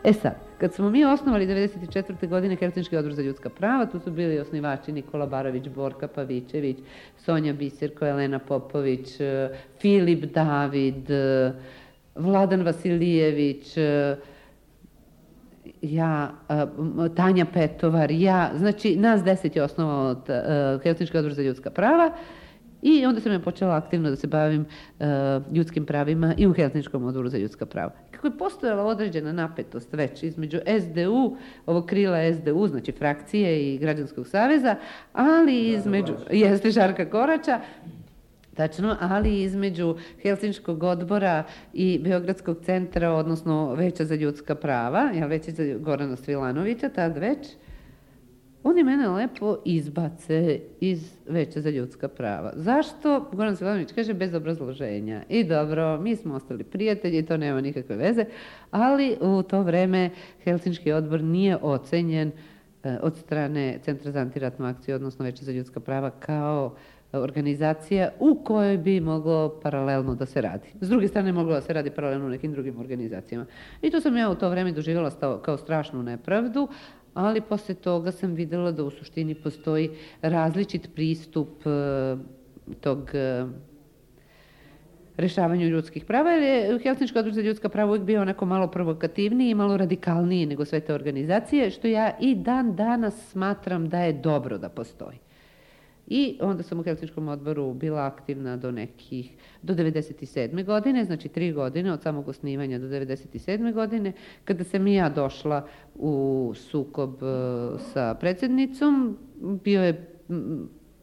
E sad, kad smo mi osnovali 1994. godine Helsinški odbor za ljudska prava, tu su bili osnivači Nikola Barović, Borka Pavićević, Sonja Biserko, Elena Popović, Filip David, Vladan Vasilijević, ja, Tanja Petovar, ja, znači nas 10 je osnovao Helsinški odbor za ljudska prava i onda sam ja počela aktivno da se bavim ljudskim pravima i u Helsinškom odboru za ljudska prava. Kako je postojala određena napetost već između SDU, ovog krila SDU, znači frakcije i Građanskog saveza, ali između, jeste Žarka Korača, tačno, ali između Helsinškog odbora i Beogradskog centra, odnosno Veća za ljudska prava, Veća za Gorana Svilanovića, tad već, oni mene lepo izbace iz Veća za ljudska prava. Zašto? Goran Svilanović kaže bez obrazloženja. I dobro, mi smo ostali prijatelji, to nema nikakve veze, ali u to vreme Helsinški odbor nije ocenjen od strane Centra za antiratnu akciju, odnosno Veća za ljudska prava, kao organizacija u kojoj bi moglo paralelno da se radi. S druge strane, moglo da se radi paralelno u nekim drugim organizacijama. I to sam ja u to vreme doživjela kao strašnu nepravdu, ali posle toga sam videla da u suštini postoji različit pristup tog rešavanju ljudskih prava, jer je Helsinški odbor za ljudska prava uvijek bio onako malo provokativniji i malo radikalniji nego sve te organizacije, što ja i dan danas smatram da je dobro da postoji. I onda sam u Helsinškom odboru bila aktivna do 97. godine, znači 3 godine od samog osnivanja do 97. godine, kada sam i ja došla u sukob sa predsjednicom,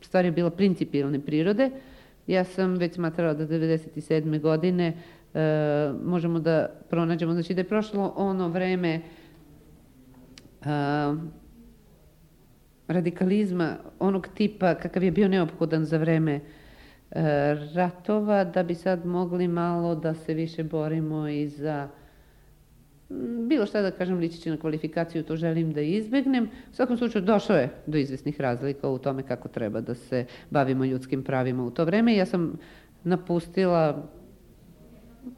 stvar je bila principijelne prirode. Ja sam već smatrala da 97. godine možemo da pronađemo, znači da je prošlo ono vreme radikalizma onog tipa kakav je bio neophodan za vreme ratova, da bi sad mogli malo da se više borimo i za bilo šta da kažem ličići na kvalifikaciju, to želim da izbegnem. U svakom slučaju došlo je do izvesnih razlika u tome kako treba da se bavimo ljudskim pravima u to vreme. Ja sam napustila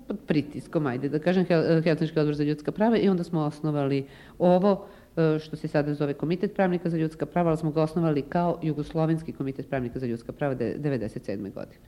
pod pritiskom, ajde da kažem, Helsinški odbor za ljudska prava i onda smo osnovali ovo što se sada zove Komitet pravnika za ljudska prava, ali smo ga osnovali kao Jugoslovenski komitet pravnika za ljudska prava 1997. godine.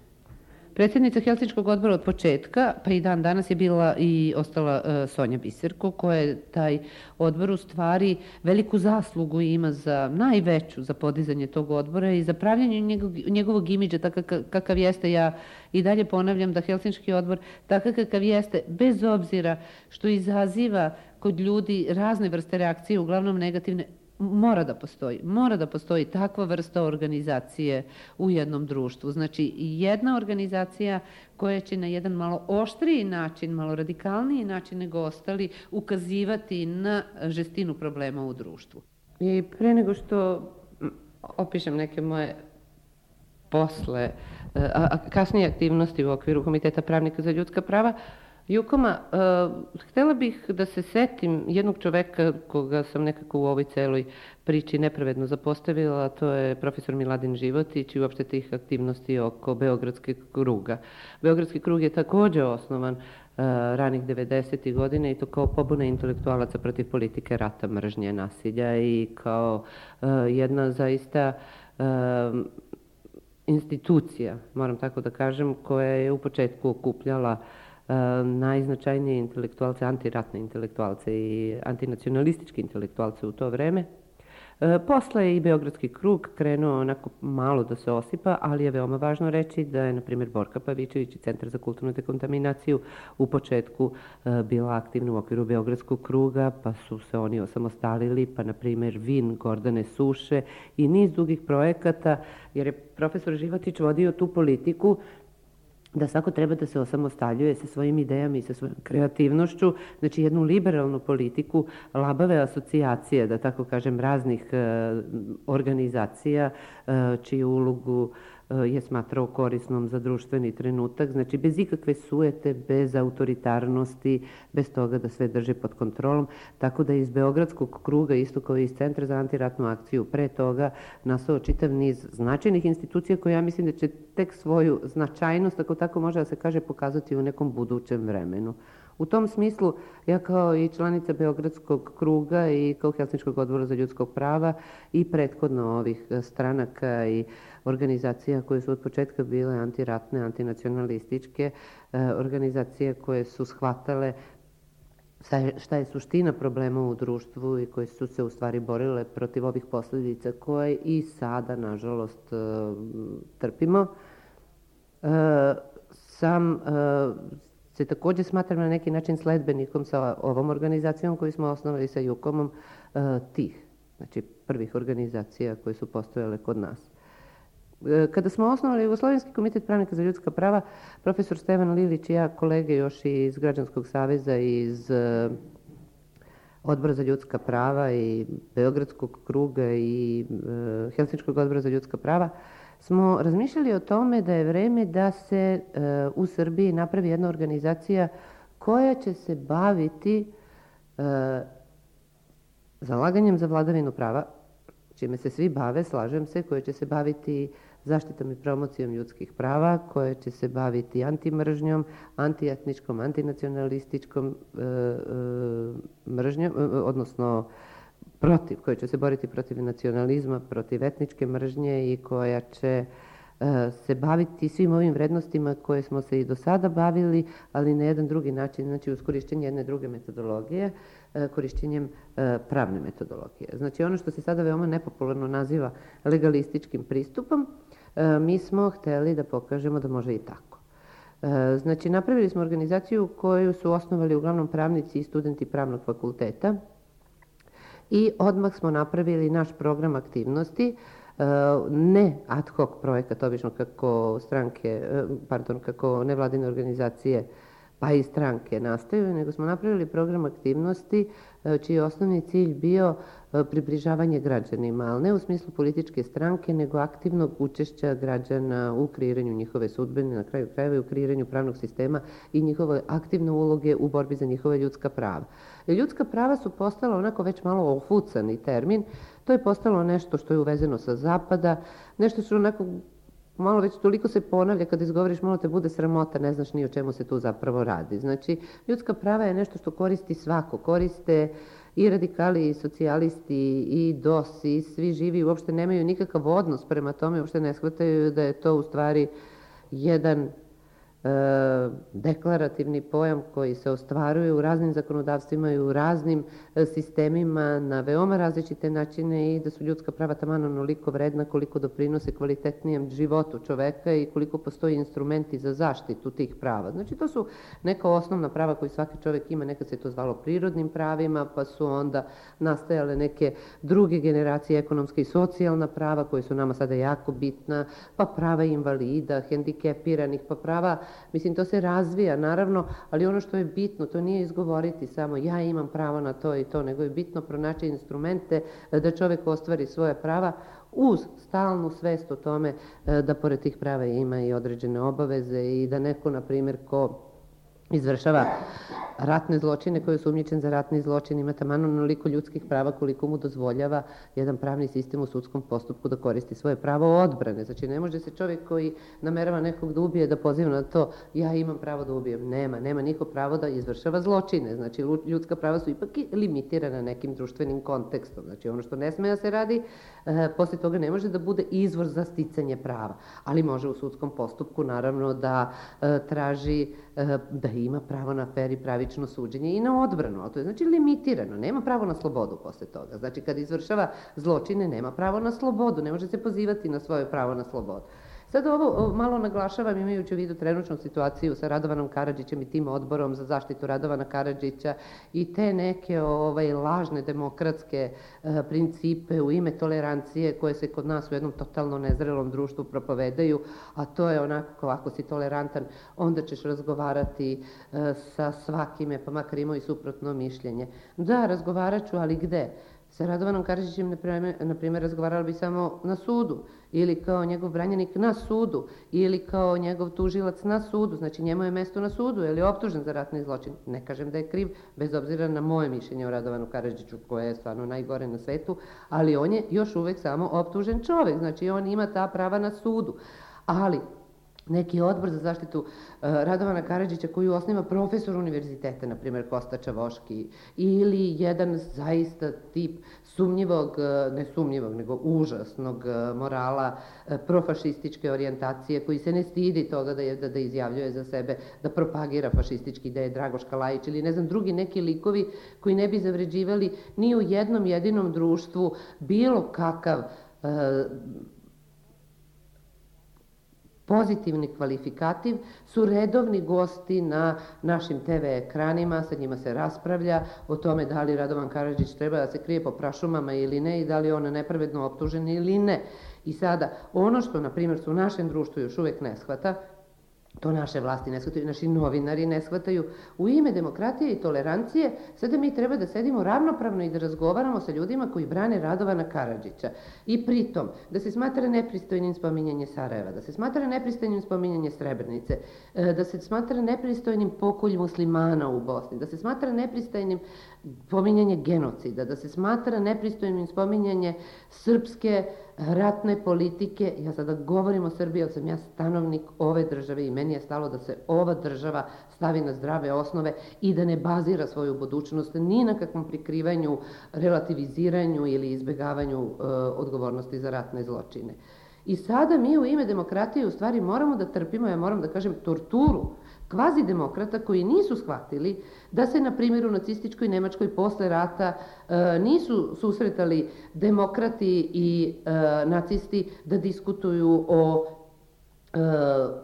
Predsjednica Helsinškog odbora od početka, pa i dan danas je bila i ostala Sonja Biserko, koja je taj odbor u stvari veliku zaslugu ima najveću za podizanje tog odbora i za pravljanje njegovog imidža tako kakav jeste. Ja i dalje ponavljam da Helsinški odbor takav kakav jeste, bez obzira što izaziva kod ljudi razne vrste reakcije, uglavnom negativne, mora da postoji takva vrsta organizacije u jednom društvu. Znači, jedna organizacija koja će na jedan malo oštriji način, malo radikalniji način nego ostali ukazivati na žestinu problema u društvu. I pre nego što opišem neke moje kasnije aktivnosti u okviru Komiteta pravnika za ljudska prava, Jukoma, htjela bih da se setim jednog čoveka koga sam nekako u ovoj celoj priči nepravedno zapostavila, to je profesor Miladin Životić i uopšte tih aktivnosti oko Beogradskog kruga. Beogradski krug je takođe osnovan ranih 90. godine i to kao pobuna intelektualaca protiv politike rata, mržnje, nasilja i kao jedna zaista institucija, moram tako da kažem, koja je u početku okupljala najznačajnije intelektualce, antiratne intelektualce i antinacionalističke intelektualce u to vreme. Posle je i Beogradski krug krenuo onako malo da se osipa, ali je veoma važno reći da je, na primjer, Borka Pavićević i Centar za kulturnu dekontaminaciju u početku bila aktivna u okviru Beogradskog kruga, pa su se oni osamostalili, pa, na primjer, Vin Gordane Suše i niz drugih projekata, jer je profesor Životić vodio tu politiku da svako treba da se osamostaljuje sa svojim idejama i sa svojom kreativnošću, znači jednu liberalnu politiku, labave asocijacije, da tako kažem, raznih organizacija čiju ulogu je smatrao korisnom za društveni trenutak, znači bez ikakve sujete, bez autoritarnosti, bez toga da sve drži pod kontrolom, tako da iz Beogradskog kruga, isto kao i iz Centra za antiratnu akciju, pre toga nastao čitav niz značajnih institucija koje ja mislim da će tek svoju značajnost, ako tako može da se kaže, pokazati u nekom budućem vremenu. U tom smislu, ja kao i članica Beogradskog kruga i kao Helsinškog odbora za ljudskog prava i prethodno ovih stranaka i organizacija koje su od početka bile antiratne, antinacionalističke, organizacije koje su shvatale šta je suština problema u društvu i koje su se u stvari borile protiv ovih posljedica koje i sada, nažalost, trpimo. Sam se takođe smatram na neki način sledbenikom sa ovom organizacijom koju smo osnovali sa Jukomom tih, znači prvih organizacija koje su postojale kod nas. Kada smo osnovali Jugoslovenski komitet pravnika za ljudska prava, profesor Stevan Lilić i ja, kolege još iz Građanskog saveza i iz Odbora za ljudska prava i Beogradskog kruga i Helsinškog odbora za ljudska prava, smo razmišljali o tome da je vreme da se u Srbiji napravi jedna organizacija koja će se baviti zalaganjem za vladavinu prava, čime se svi bave, slažem se, koja će se baviti zaštitom i promocijom ljudskih prava, koja će se baviti antimržnjom, antietničkom, antinacionalističkom mržnjom, odnosno koja će se boriti protiv nacionalizma, protiv etničke mržnje i koja će se baviti svim ovim vrednostima koje smo se i do sada bavili, ali na jedan drugi način, znači uz korišćenje jedne druge metodologije, korišćenjem pravne metodologije. Znači ono što se sada veoma nepopularno naziva legalističkim pristupom, mi smo hteli da pokažemo da može i tako. Znači napravili smo organizaciju koju su osnovali uglavnom pravnici i studenti pravnog fakulteta i odmah smo napravili naš program aktivnosti, ne ad hoc projekat, obično kako nevladine organizacije pa i stranke nastaju, nego smo napravili program aktivnosti čiji je osnovni cilj bio približavanje građanima, ali ne u smislu političke stranke, nego aktivnog učešća građana u kreiranju njihove sudbine, na kraju krajeva i u kreiranju pravnog sistema i njihove aktivne uloge u borbi za njihove ljudska prava. Ljudska prava su postala onako već malo ofucani termin, to je postalo nešto što je uvezeno sa zapada, nešto što onako malo već toliko se ponavlja, kada izgovoriš malo te bude sramota, ne znaš ni o čemu se tu zapravo radi. Znači, ljudska prava je nešto što koristi svako, koriste i radikali, i socijalisti, i DOS, i svi živi, uopšte nemaju nikakav odnos prema tome, uopšte ne shvataju da je to u stvari jedan deklarativni pojam koji se ostvaruje u raznim zakonodavstvima i u raznim sistemima na veoma različite načine i da su ljudska prava taman onoliko vredna koliko doprinose kvalitetnijem životu čoveka i koliko postoji instrumenti za zaštitu tih prava. Znači to su neka osnovna prava koju svaki čovek ima, nekad se to zvalo prirodnim pravima, pa su onda nastajale neke druge generacije, ekonomska i socijalna prava koje su nama sada jako bitna, pa prava invalida, hendikepiranih, pa prava. Mislim, to se razvija, naravno, ali ono što je bitno, to nije izgovoriti samo ja imam pravo na to i to, nego je bitno pronaći instrumente da čovek ostvari svoje prava uz stalnu svest o tome da pored tih prava ima i određene obaveze i da neko, na primjer, ko izvršava ratne zločine, koji je osumnjičen za ratni zločin, ima taman onoliko ljudskih prava koliko mu dozvoljava jedan pravni sistem u sudskom postupku da koristi svoje pravo odbrane. Znači, ne može se čovjek koji namerava nekog da ubije da poziva na to ja imam pravo da ubijem. Nema niko pravo da izvršava zločine. Znači, ljudska prava su ipak i limitirana nekim društvenim kontekstom. Znači, ono što ne sme da se radi, posle toga ne može da bude izvor za sticanje prava. Ali može u sudskom postupku, naravno, da traži da ima pravo na fer i pravično suđenje i na odbranu, ali to je znači limitirano, nema pravo na slobodu posle toga. Znači kad izvršava zločine nema pravo na slobodu, ne može se pozivati na svoje pravo na slobodu. Sad ovo malo naglašavam imajući u vidu trenutnu situaciju sa Radovanom Karadžićem i tim odborom za zaštitu Radovana Karadžića i te neke lažne demokratske principe u ime tolerancije koje se kod nas u jednom totalno nezrelom društvu propovedaju, a to je onako ako si tolerantan onda ćeš razgovarati sa svakime, pa makar imao i suprotno mišljenje. Da, razgovarat ću, ali gde? Sa Radovanom Karadžićem, na primjer, razgovarala bi samo na sudu, ili kao njegov branjenik na sudu, ili kao njegov tužilac na sudu, znači njemu je mesto na sudu, jer je optužen za ratni zločin. Ne kažem da je kriv, bez obzira na moje mišljenje o Radovanu Karadžiću, koje je stvarno najgore na svetu, ali on je još uvek samo optužen čovek, znači on ima ta prava na sudu. Ali neki odbor za zaštitu Radovana Karadžića koji osniva profesor univerziteta, na primjer Kosta Čavoški, ili jedan zaista tip sumnjivog, ne sumnjivog, nego užasnog morala, profašističke orijentacije, koji se ne stidi toga da izjavljuje za sebe, da propagira fašistički ideje, Dragoš Kalajić ili ne znam, drugi neki likovi koji ne bi zavređivali ni u jednom jedinom društvu bilo kakav pozitivni kvalifikativ, su redovni gosti na našim TV ekranima, sa njima se raspravlja o tome da li Radovan Karadžić treba da se krije po prašumama ili ne i da li je on nepravedno optužen ili ne. I sada, ono što, na primjer, su u našem društvu još uvek ne shvata, to naše vlasti ne shvataju, naši novinari ne shvataju, u ime demokratije i tolerancije sada mi treba da sedimo ravnopravno i da razgovaramo sa ljudima koji brane Radovana Karadžića. I pritom, da se smatra nepristojnim spominjanje Sarajeva, da se smatra nepristojnim spominjanje Srebrenice, da se smatra nepristojnim pokolj muslimana u Bosni, da se smatra nepristojnim spominjanje genocida, da se smatra nepristojnim spominjanje srpske ratne politike. Ja sada govorim o Srbiji, jer sam ja stanovnik ove države i meni je stalo da se ova država stavi na zdrave osnove i da ne bazira svoju budućnost ni na kakvom prikrivanju, relativiziranju ili izbegavanju odgovornosti za ratne zločine. I sada mi u ime demokratije u stvari moramo da trpimo, ja moram da kažem, torturu kvazi demokrata koji nisu shvatili da se, na primjer, u nacističkoj Nemačkoj posle rata nisu susretali demokrati i nacisti da diskutuju o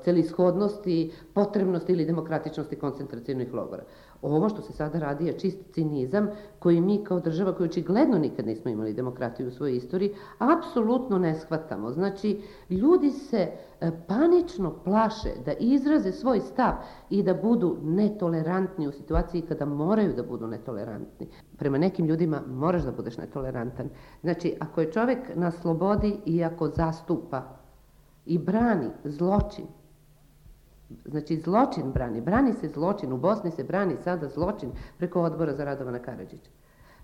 celishodnosti, potrebnosti ili demokratičnosti koncentracionih logora. Ovo što se sada radi je čist cinizam koji mi kao država, koji očigledno nikad nismo imali demokratiju u svojoj istoriji, apsolutno ne shvatamo. Znači, ljudi se panično plaše da izraze svoj stav i da budu netolerantni u situaciji kada moraju da budu netolerantni. Prema nekim ljudima moraš da budeš netolerantan. Znači, ako je čovek na slobodi i ako zastupa i brani zločin, znači zločin brani se zločin, u Bosni se brani sada zločin preko odbora za Radovana Karadžića.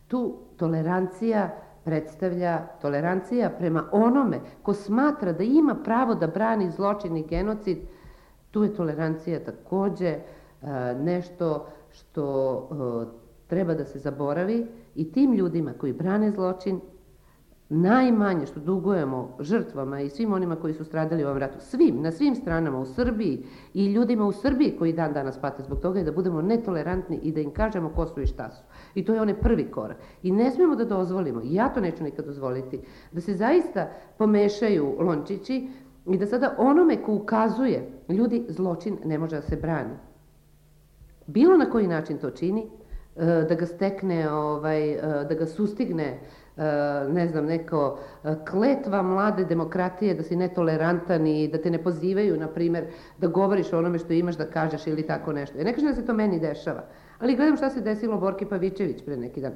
Tu tolerancija predstavlja tolerancija prema onome ko smatra da ima pravo da brani zločin i genocid. Tu je tolerancija takođe nešto što treba da se zaboravi i tim ljudima koji brane zločin najmanje što dugujemo žrtvama i svim onima koji su stradali u ovom ratu, na svim stranama u Srbiji i ljudima u Srbiji koji dan danas pate zbog toga je da budemo netolerantni i da im kažemo ko su i šta su. I to je onaj prvi korak. I ne smijemo da dozvolimo, i ja to neću nikad dozvoliti, da se zaista pomešaju lončići i da sada onome ko ukazuje, ljudi, zločin ne može da se brani. Bilo na koji način to čini, da ga stekne, da ga sustigne, ne znam, neko kletva mlade demokratije da si netolerantan i da te ne pozivaju, na primjer, da govoriš o onome što imaš da kažeš ili tako nešto. Ja ne kažem da se to meni dešava, ali gledam šta se desilo Borki Pavićević pre neki dan.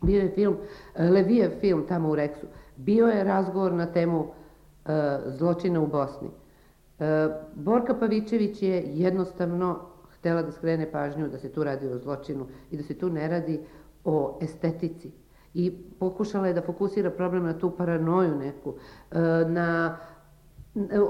Bio je film, Levijev film tamo u Reksu. Bio je razgovor na temu zločina u Bosni. Borka Pavićević je jednostavno htela da skrene pažnju da se tu radi o zločinu i da se tu ne radi o estetici. I pokušala je da fokusira problem na tu paranoju neku, na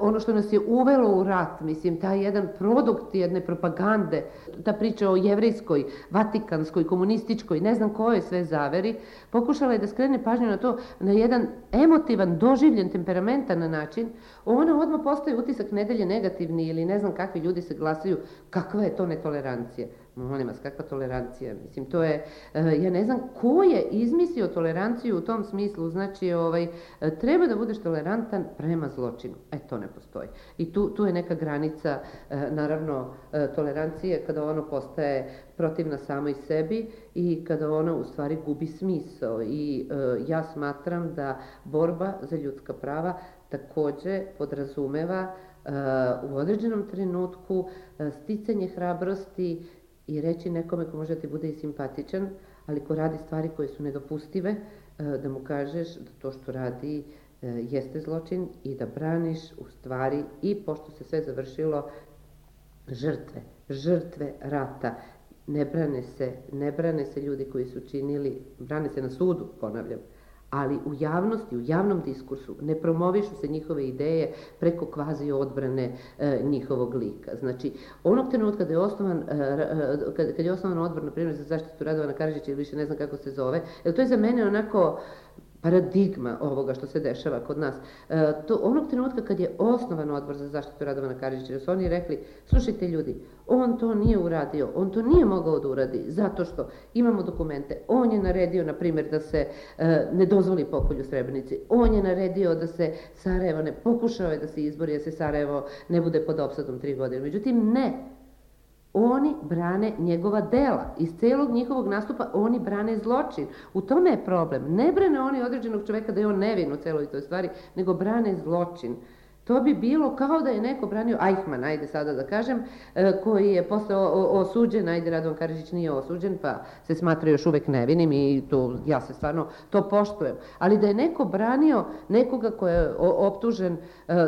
ono što nas je uvelo u rat, mislim, taj jedan produkt jedne propagande, ta priča o jevrejskoj, vatikanskoj, komunističkoj, ne znam kojoj sve zaveri, pokušala je da skrene pažnju na to na jedan emotivan, doživljen, temperamentan način. Ona odmah postaje utisak nedelje negativni ili ne znam kakvi ljudi se glasaju, kakva je to netolerancija. Molim vas, kakva tolerancija? Mislim, to je, ja ne znam ko je izmislio toleranciju u tom smislu, znači, treba da budeš tolerantan prema zločinu. To ne postoji. I tu je neka granica, naravno, tolerancije kada ono postaje protivna samoj sebi i kada ona u stvari gubi smisao. I ja smatram da borba za ljudska prava takođe podrazumeva u određenom trenutku sticanje hrabrosti i reći nekome ko može da ti bude i simpatičan, ali ko radi stvari koje su nedopustive, da mu kažeš da to što radi jeste zločin i da braniš u stvari i pošto se sve završilo žrtve rata. Ne brane se ljudi koji su činili, brane se na sudu, ponavljam, ali u javnosti, u javnom diskursu ne promovišu se njihove ideje preko kvazi odbrane njihovog lika. Znači, onog trenutka kada je osnovan, kad je osnovan odbor, na primjer, za zaštitu Radovana Karadžića, ili više ne znam kako se zove, jer to je za mene onako paradigma ovoga što se dešava kod nas. Onog trenutka kad je osnovan odbor za zaštitu Radovana Karadžića, jer su oni rekli, slušajte ljudi, on to nije uradio, on to nije mogao da uradi, zato što imamo dokumente, on je naredio, na primjer, da se ne dozvoli pokolj u Srebrenici, on je naredio da se Sarajevo ne, pokušao je da se izbori, da se Sarajevo ne bude pod opsadom 3 godine, međutim ne. Oni brane njegova dela. Iz celog njihovog nastupa oni brane zločin. U tome je problem. Ne brane oni određenog čoveka da je on nevin u celoj toj stvari, nego brane zločin. To bi bilo kao da je neko branio Eichmann, ajde sada da kažem, koji je posle osuđen, ajde Radovan Karadžić nije osuđen, pa se smatra još uvek nevinim i to, ja se stvarno to poštujem. Ali da je neko branio nekoga ko je optužen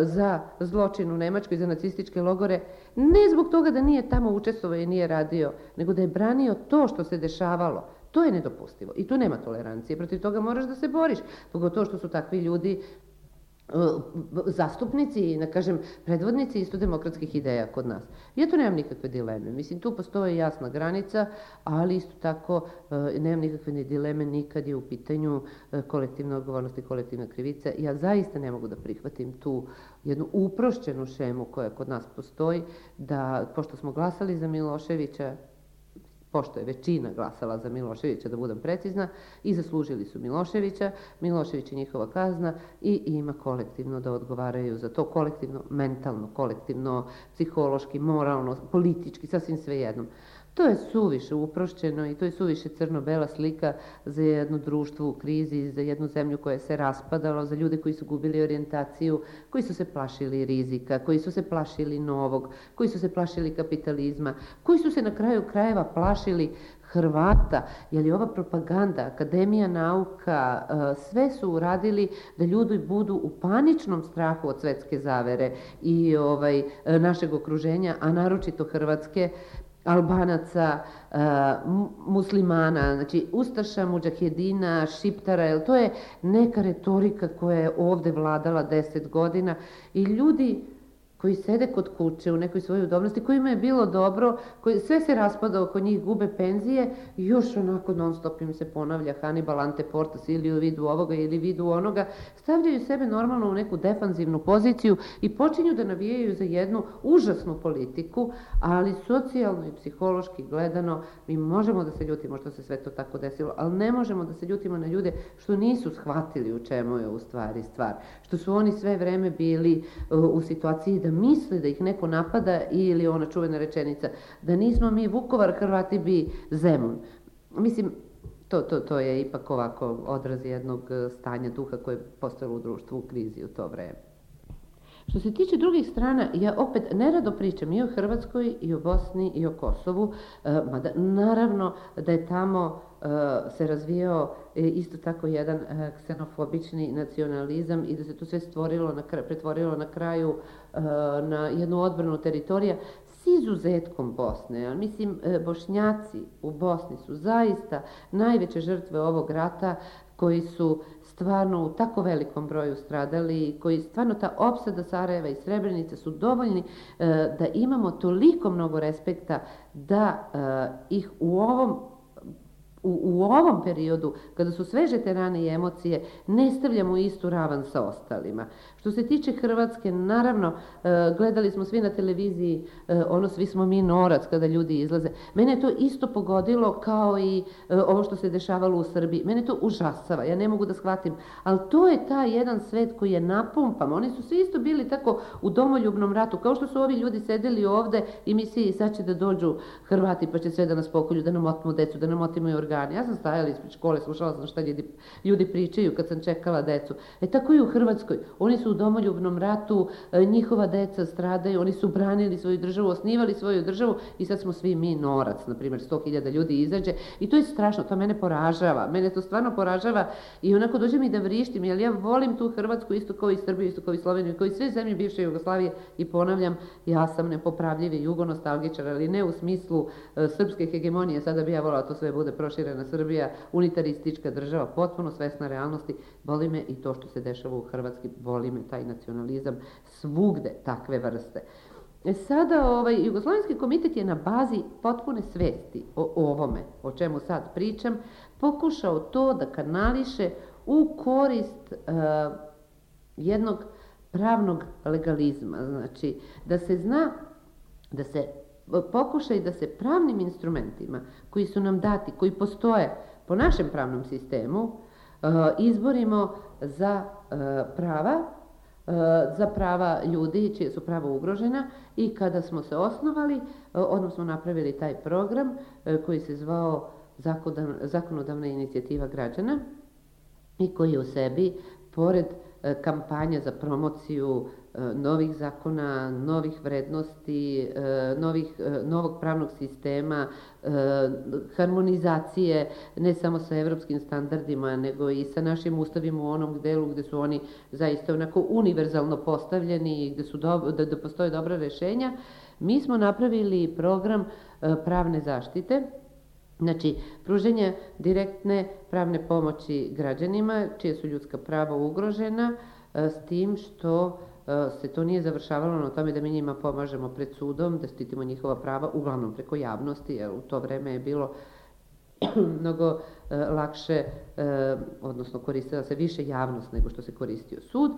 za zločin u Nemačkoj, za nacističke logore, ne zbog toga da nije tamo učestvovao i nije radio, nego da je branio to što se dešavalo. To je nedopustivo i tu nema tolerancije. Protiv toga moraš da se boriš. Pogotovo što su takvi ljudi zastupnici, da kažem, predvodnici isto demokratskih ideja kod nas. Ja tu nemam nikakve dileme. Mislim, tu postoji jasna granica, ali isto tako nemam nikakve ni dileme nikad je u pitanju kolektivna odgovornost i kolektivna krivica. Ja zaista ne mogu da prihvatim tu jednu uprošćenu šemu koja kod nas postoji, da, pošto smo glasali za Miloševića, pošto je većina glasala za Miloševića, da budem precizna, i zaslužili su Miloševića, Milošević je njihova kazna i ima kolektivno da odgovaraju za to, kolektivno, mentalno, kolektivno, psihološki, moralno, politički, sasvim svejedno. To je suviše uprošćeno i to je suviše crno-bela slika za jedno društvo u krizi, za jednu zemlju koja se raspadala, za ljude koji su gubili orijentaciju, koji su se plašili rizika, koji su se plašili novog, koji su se plašili kapitalizma, koji su se na kraju krajeva plašili Hrvata, jer je ova propaganda, Akademija nauka, sve su uradili da ljudi budu u paničnom strahu od svetske zavere i našeg okruženja, a naročito Hrvatske, Albanaca, muslimana, znači Ustaša, Mudžahedina, Šiptara, jer to je neka retorika koja je ovde vladala 10 godina i ljudi koji sede kod kuće u nekoj svojoj udobnosti, kojima je bilo dobro, sve se raspada oko njih, gube penzije i još onako non stop im se ponavlja Hannibal ante portas ili u vidu ovoga ili vidu onoga, stavljaju sebe normalno u neku defanzivnu poziciju i počinju da navijaju za jednu užasnu politiku, ali socijalno i psihološki gledano mi možemo da se ljutimo što se sve to tako desilo, ali ne možemo da se ljutimo na ljude što nisu shvatili u čemu je u stvari stvar, što su oni sve vreme bili u situaciji da misle da ih neko napada ili ona čuvena rečenica da nismo mi Vukovar, Hrvati bi Zemun. Mislim, to je ipak ovako odraz jednog stanja duha koje je postojalo u društvu u krizi u to vreme. Što se tiče drugih strana, ja opet nerado pričam i o Hrvatskoj, i o Bosni, i o Kosovu, mada naravno da je tamo se razvijao isto tako jedan ksenofobični nacionalizam i da se to sve pretvorilo na kraju na jednu odbranu teritorija s izuzetkom Bosne. Mislim, Bošnjaci u Bosni su zaista najveće žrtve ovog rata koji su stvarno u tako velikom broju stradali i koji stvarno ta opsada Sarajeva i Srebrenice su dovoljni da imamo toliko mnogo respekta da ih u ovom periodu, kada su sveže te rane i emocije, ne stavljamo u istu ravan sa ostalima. Što se tiče Hrvatske, naravno, gledali smo svi na televiziji, svi smo mi norac kada ljudi izlaze. Mene je to isto pogodilo kao i ovo što se dešavalo u Srbiji. Mene to užasava, ja ne mogu da shvatim, ali to je taj jedan svet koji je napumpan. Oni su svi isto bili tako u domoljubnom ratu, kao što su ovi ljudi sedeli ovde i mislili sad će da dođu Hrvati pa će sve da nas pokolju, da nam otmu decu, da nam otimaju organe. Ja sam stajala ispred škole, slušala sam šta ljudi pričaju kad sam čekala decu. Tako i u Hrvatskoj. Oni su u domoljubnom ratu, njihova deca stradaju, oni su branili svoju državu, osnivali svoju državu i sad smo svi mi norac, na primjer 100.000 ljudi izađe i to je strašno, to mene poražava, mene to stvarno poražava i onako dođe mi da vrištim, jer ja volim tu Hrvatsku isto kao i Srbiju, isto kao i Sloveniju, kao i sve zemlje bivše Jugoslavije i ponavljam, ja sam nepopravljivi jugonostalgičar, ali ne u smislu srpske hegemonije, sada bi ja volala to sve bude prošlo proširena Srbija, unitaristička država, potpuno svesna realnosti. Boli me i to što se dešava u Hrvatskoj, boli me taj nacionalizam svugde takve vrste. Sada Jugoslovenski komitet je na bazi potpune svesti o ovome, o čemu sad pričam, pokušao to da kanališe u korist jednog pravnog legalizma, znači da se zna, da se pokuša i da se pravnim instrumentima koji su nam dati, koji postoje po našem pravnom sistemu, izborimo za prava ljudi čije su prava ugrožena. I kada smo se osnovali, odmah smo napravili taj program koji se zvao Zakonodavna inicijativa građana i koji u sebi, pored kampanja za promociju novih zakona, novih vrednosti, novog pravnog sistema, harmonizacije ne samo sa evropskim standardima, nego i sa našim ustavima u onom delu gde su oni zaista onako univerzalno postavljeni i gde postoje dobra rešenja, mi smo napravili program pravne zaštite, znači pruženje direktne pravne pomoći građanima čije su ljudska prava ugrožena, s tim što se to nije završavalo na tome da mi njima pomažemo pred sudom, da štitimo njihova prava, uglavnom preko javnosti, jer u to vreme je bilo mnogo lakše, odnosno koristila se više javnost nego što se koristio sud.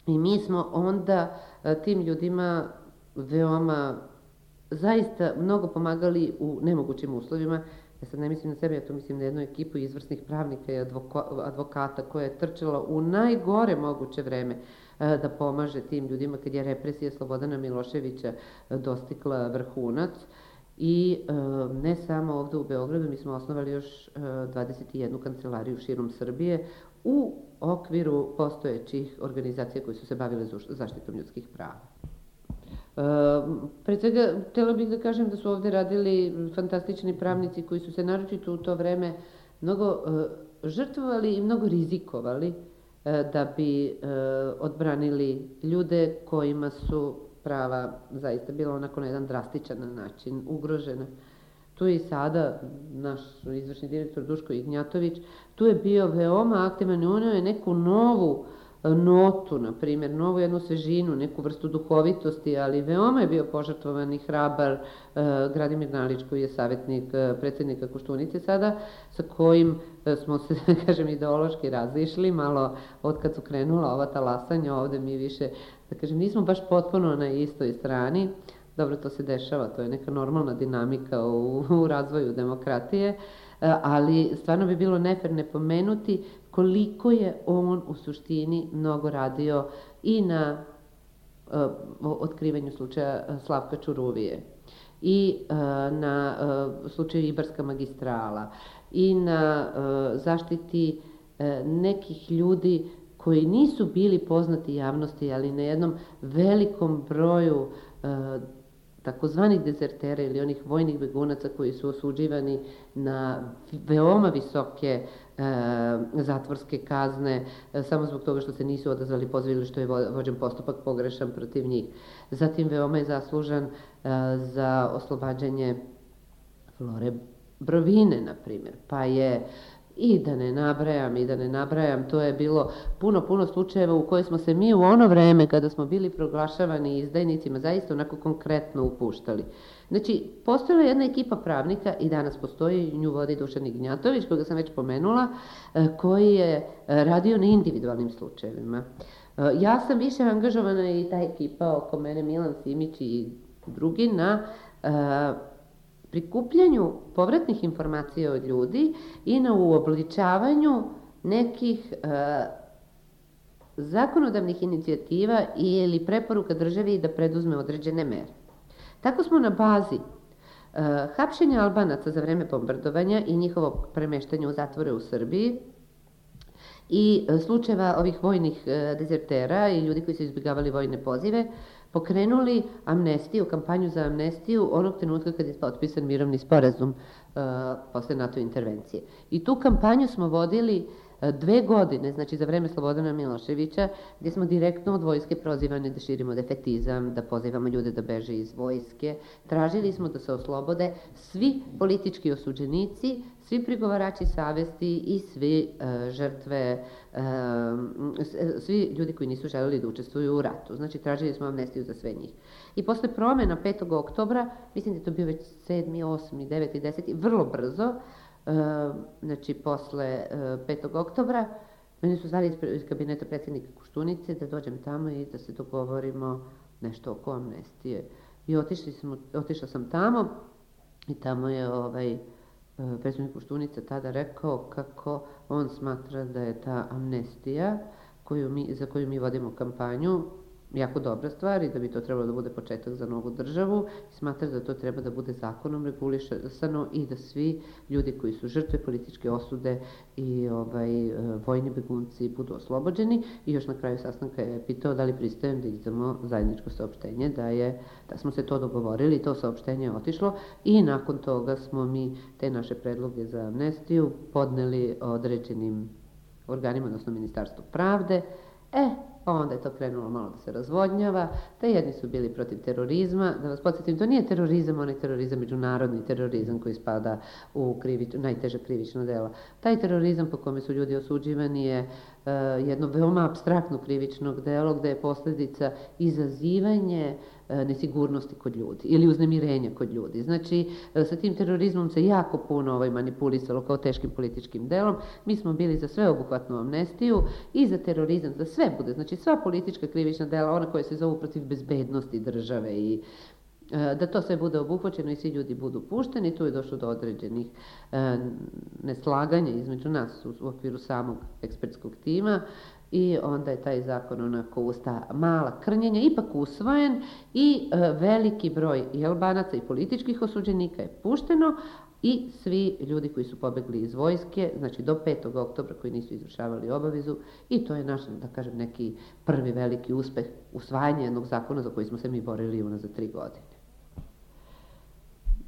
I mi smo onda tim ljudima veoma zaista mnogo pomagali u nemogućim uslovima. Ja sad ne mislim na sebe, ja to mislim na jednu ekipu izvrsnih pravnika i advokata koja je trčala u najgore moguće vreme da pomaže tim ljudima kad je represija Slobodana Miloševića dostigla vrhunac. I ne samo ovde u Beogradu, mi smo osnovali još 21 kancelariju širom Srbije u okviru postojećih organizacija koje su se bavile zaštitom ljudskih prava. Pre svega, htjela bih da kažem da su ovde radili fantastični pravnici koji su se naročito u to vreme mnogo žrtvovali i mnogo rizikovali da bi odbranili ljude kojima su prava zaista bila onako na jedan drastičan način ugrožena. Tu je i sada naš izvršni direktor Duško Ignjatović, tu je bio veoma aktivan i uneo je neku novu notu, na primjer, novu jednu svežinu, neku vrstu duhovitosti, ali veoma je bio požrtvovan i hrabar Gradimir Nalić, koji je savjetnik predsjednika Koštunice sada, sa kojim smo se, kažem, ideološki razišli, malo od kad su krenula ova talasanja, ovde mi više, da kažem, nismo baš potpuno na istoj strani. Dobro, to se dešava, to je neka normalna dinamika u razvoju demokratije, ali stvarno bi bilo nefer ne pomenuti koliko je on u suštini mnogo radio i na otkrivanju slučaja Slavka Čuruvije i na slučaju Ibarska magistrala i na zaštiti nekih ljudi koji nisu bili poznati javnosti, ali na jednom velikom broju takozvanih dezertera ili onih vojnih begunaca koji su osuđivani na veoma visoke zatvorske kazne samo zbog toga što se nisu odazvali pozivu ili što je vođen postupak pogrešan protiv njih. Zatim veoma je zaslužan za oslobađanje Flore Brovine, na primjer, pa je i da ne nabrajam, to je bilo puno slučajeva u koje smo se mi u ono vreme kada smo bili proglašavani izdajnicima zaista onako konkretno upuštali. Znači, postojala je jedna ekipa pravnika i danas postoji, nju vodi Dušan Ignjatović, koga sam već pomenula, koji je radio na individualnim slučajevima. Ja sam više angažovana i ta ekipa oko mene, Milan Simić i drugi, na prikupljanju povratnih informacija od ljudi i na uobličavanju nekih zakonodavnih inicijativa ili preporuka državi da preduzme određene mere. Tako smo na bazi hapšenja Albanaca za vreme bombardovanja i njihovog premeštanja u zatvore u Srbiji i slučajeva ovih vojnih dezertera i ljudi koji su izbjegavali vojne pozive, pokrenuli amnestiju, kampanju za amnestiju onog trenutka kad je potpisan mirovni sporazum posle NATO intervencije. I tu kampanju smo vodili 2 godine, znači za vreme Slobodana Miloševića, gdje smo direktno od vojske prozivani da širimo defetizam, da pozivamo ljude da beže iz vojske. Tražili smo da se oslobode svi politički osuđenici, svi prigovarači savesti i svi žrtve, svi ljudi koji nisu želeli da učestvuju u ratu. Znači, tražili smo amnestiju za sve njih. I posle promjena 5. oktobra, mislim da je to bio već 7., 8., 9., 10., vrlo brzo, znači posle 5. oktobra, meni su zvali iz kabineta predsjednika Koštunice da dođem tamo i da se dogovorimo nešto oko amnestije. I otišla sam tamo i tamo je predsjednik Koštunica tada rekao kako on smatra da je ta amnestija za koju mi vodimo kampanju jako dobra stvar i da bi to trebalo da bude početak za novu državu. Smatra da to treba da bude zakonom regulisano i da svi ljudi koji su žrtve političke osude i vojni begunci budu oslobođeni. I još na kraju sastanka je pitao da li pristajem da izdamo zajedničko saopštenje, da smo se to dogovorili, to saopštenje je otišlo i nakon toga smo mi te naše predloge za amnestiju podneli određenim organima, odnosno Ministarstvu pravde. Onda je to krenulo malo da se razvodnjava, te jedni su bili protiv terorizma. Da vas podsjetim, to nije terorizam, onaj terorizam, međunarodni terorizam koji spada u najteže krivično dela. Taj terorizam po kome su ljudi osuđivani je jedno veoma apstraktno krivično delo gde je posljedica izazivanje nesigurnosti kod ljudi ili uznemirenja kod ljudi. Znači, sa tim terorizmom se jako puno manipulisalo kao teškim političkim delom. Mi smo bili za sveobuhvatnu amnestiju i za terorizam, za sve bude. Znači, sva politička krivična dela, ona koja se zovu protiv bezbednosti države i da to sve bude obuhvaćeno i svi ljudi budu pušteni. Tu je došlo do određenih neslaganja između nas u okviru samog ekspertskog tima i onda je taj zakon onako usta mala krnjenja ipak usvojen i veliki broj i Albanaca i političkih osuđenika je pušteno i svi ljudi koji su pobegli iz vojske, znači do 5. oktobra koji nisu izvršavali obavezu i to je naš, da kažem, neki prvi veliki uspeh usvajanja jednog zakona za koji smo se mi borili unazad 3 godine.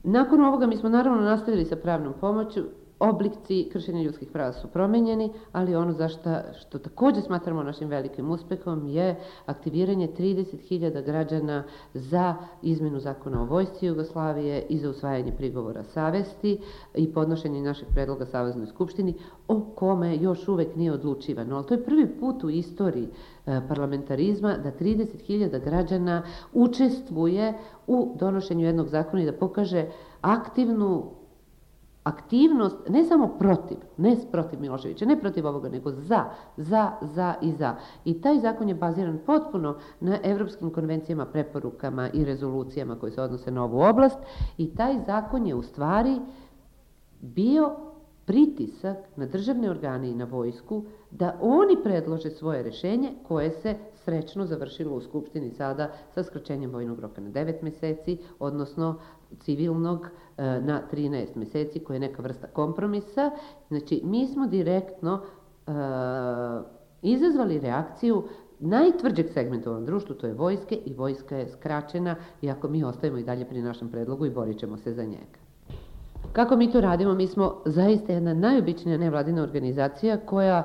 Nakon ovoga mi smo naravno nastavili sa pravnom pomoću. Oblici kršenja ljudskih prava su promenjeni, ali ono što također smatramo našim velikim uspehom je aktiviranje 30.000 građana za izmenu zakona o vojsci Jugoslavije i za usvajanje prigovora savesti i podnošenje našeg predloga Saveznoj skupštini o kome još uvek nije odlučivano. Ali to je prvi put u istoriji parlamentarizma da 30.000 građana učestvuje u donošenju jednog zakona i da pokaže aktivnost, ne samo protiv Miloševića, ne protiv ovoga, nego za. I taj zakon je baziran potpuno na evropskim konvencijama, preporukama i rezolucijama koje se odnose na ovu oblast i taj zakon je u stvari bio pritisak na državne organe i na vojsku da oni predlože svoje rešenje koje se srećno završilo u Skupštini sada sa skraćenjem vojnog roka na 9 meseci, odnosno civilnog na 13 meseci, koja je neka vrsta kompromisa. Znači, mi smo direktno izazvali reakciju najtvrđeg segmenta u ovom društvu, to je vojske, i vojska je skraćena, iako mi ostajemo i dalje pri našem predlogu i borit ćemo se za njega. Kako mi to radimo? Mi smo zaista jedna najobičnija nevladina organizacija koja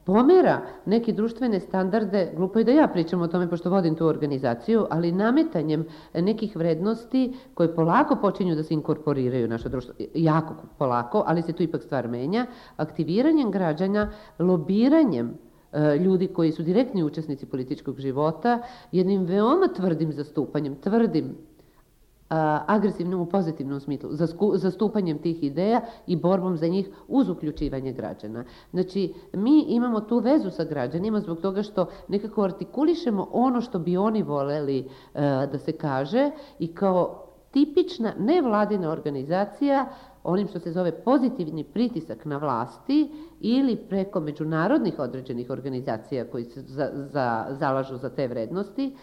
pomera neke društvene standarde, glupo je da ja pričam o tome pošto vodim tu organizaciju, ali nametanjem nekih vrednosti koje polako počinju da se inkorporiraju u naše društvo, jako polako, ali se tu ipak stvar menja, aktiviranjem građana, lobiranjem ljudi koji su direktni učesnici političkog života, jednim veoma tvrdim zastupanjem, agresivnom u pozitivnom smislu, zastupanjem tih ideja i borbom za njih uz uključivanje građana. Znači, mi imamo tu vezu sa građanima zbog toga što nekako artikulišemo ono što bi oni voleli da se kaže i kao tipična nevladina organizacija onim što se zove pozitivni pritisak na vlasti ili preko međunarodnih određenih organizacija koji se zalažu za te vrednosti,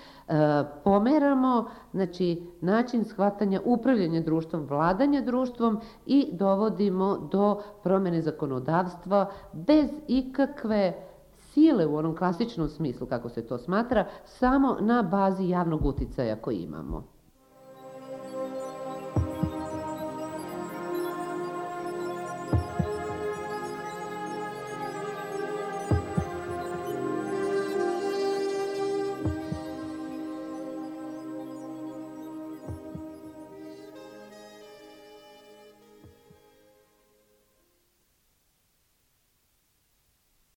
pomeramo način shvatanja upravljanja društvom, vladanja društvom i dovodimo do promene zakonodavstva bez ikakve sile u onom klasičnom smislu kako se to smatra, samo na bazi javnog uticaja koji imamo.